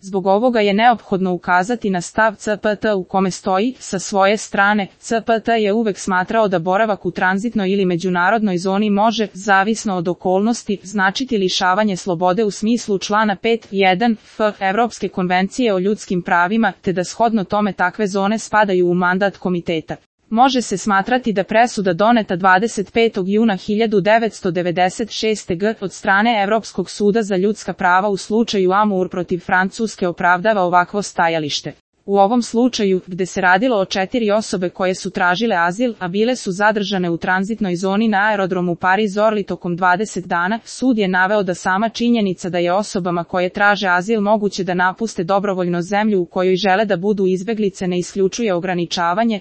Zbog ovoga je neophodno ukazati na stav CPT u kome stoji, sa svoje strane, CPT je uvek smatrao da boravak u tranzitnoj ili međunarodnoj zoni može, zavisno od okolnosti, značiti lišavanje slobode u smislu člana 5.1 f. Evropske konvencije o ljudskim pravima, te da shodno tome takve zone spadaju u mandat komiteta. Može se smatrati da presuda doneta 25. juna 1996. g. od strane Evropskog suda za ljudska prava u slučaju Amour protiv Francuske opravdava ovakvo stajalište. U ovom slučaju, gde se radilo o 4 osobe koje su tražile azil, a bile su zadržane u tranzitnoj zoni na aerodromu Paris-Orly tokom 20 dana, sud je naveo da sama činjenica da je osobama koje traže azil moguće da napuste dobrovoljno zemlju u kojoj žele da budu izbeglice ne isključuje ograničavanje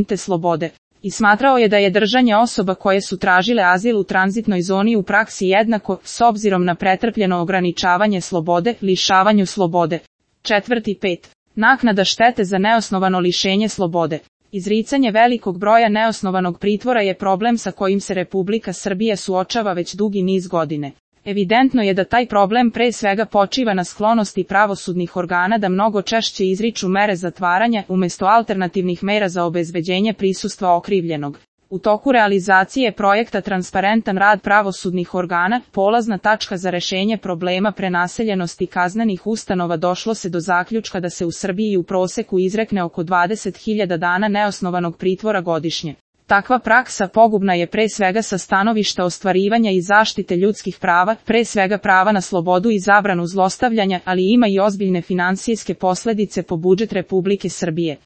te slobode. I smatrao je da je držanje osoba koje su tražile azil u tranzitnoj zoni u praksi jednako, s obzirom na pretrpljeno ograničavanje slobode, lišavanju slobode. 4.5. Naknada štete za neosnovano lišenje slobode. Izricanje velikog broja neosnovanog pritvora je problem sa kojim se Republika Srbija suočava već dugi niz godine. Evidentno je da taj problem pre svega počiva na sklonosti pravosudnih organa da mnogo češće izriču mere zatvaranja umesto alternativnih mera za obezbeđenje prisustva okrivljenog. U toku realizacije projekta Transparentan rad pravosudnih organa, polazna tačka za rešenje problema prenaseljenosti kaznenih ustanova, došlo se do zaključka da se u Srbiji u proseku izrekne oko 20.000 dana neosnovanog pritvora godišnje. Takva praksa pogubna je pre svega sa stanovišta ostvarivanja i zaštite ljudskih prava, pre svega prava na slobodu i zabranu zlostavljanja, ali ima i ozbiljne finansijske posledice po budžet Republike Srbije.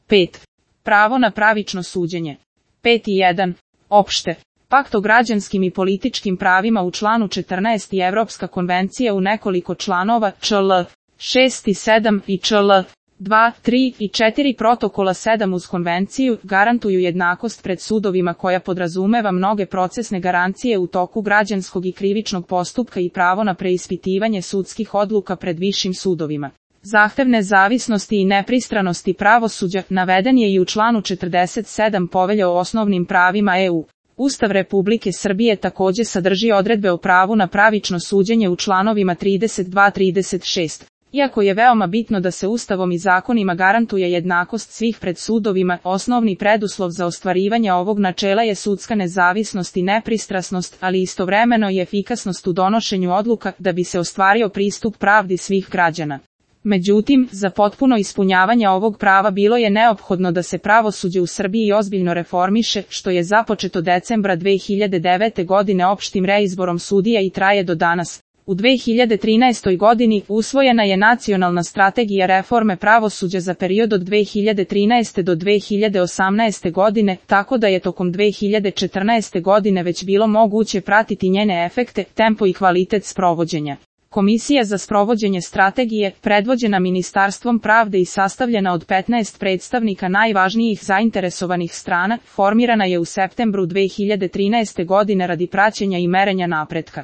5. Pravo na pravično suđenje. 5.1. Opšte. Pakt o građanskim i političkim pravima u članu 14 i Evropska konvencija u nekoliko članova čl. 6 i 7 i čl. 2, 3 i 4 protokola 7 uz konvenciju garantuju jednakost pred sudovima koja podrazumeva mnoge procesne garancije u toku građanskog i krivičnog postupka i pravo na preispitivanje sudskih odluka pred višim sudovima. Zahtev nezavisnosti i nepristranosti pravosuđa naveden je i u članu 47 Povelje o osnovnim pravima EU. Ustav Republike Srbije takođe sadrži odredbe o pravu na pravično suđenje u članovima 32-36. Iako je veoma bitno da se Ustavom i zakonima garantuje jednakost svih pred sudovima, osnovni preduslov za ostvarivanje ovog načela je sudska nezavisnost i nepristrasnost, ali istovremeno i efikasnost u donošenju odluka da bi se ostvario pristup pravdi svih građana. Međutim, za potpuno ispunjavanje ovog prava bilo je neophodno da se pravosuđe u Srbiji ozbiljno reformiše, što je započeto decembra 2009. godine opštim reizborom sudija i traje do danas. U 2013. godini usvojena je Nacionalna strategija reforme pravosuđa za period od 2013. do 2018. godine, tako da je tokom 2014. godine već bilo moguće pratiti njene efekte, tempo i kvalitet sprovođenja. Komisija za sprovođenje strategije, predvođena Ministarstvom pravde i sastavljena od 15 predstavnika najvažnijih zainteresovanih strana, formirana je u septembru 2013. godine radi praćenja i merenja napretka.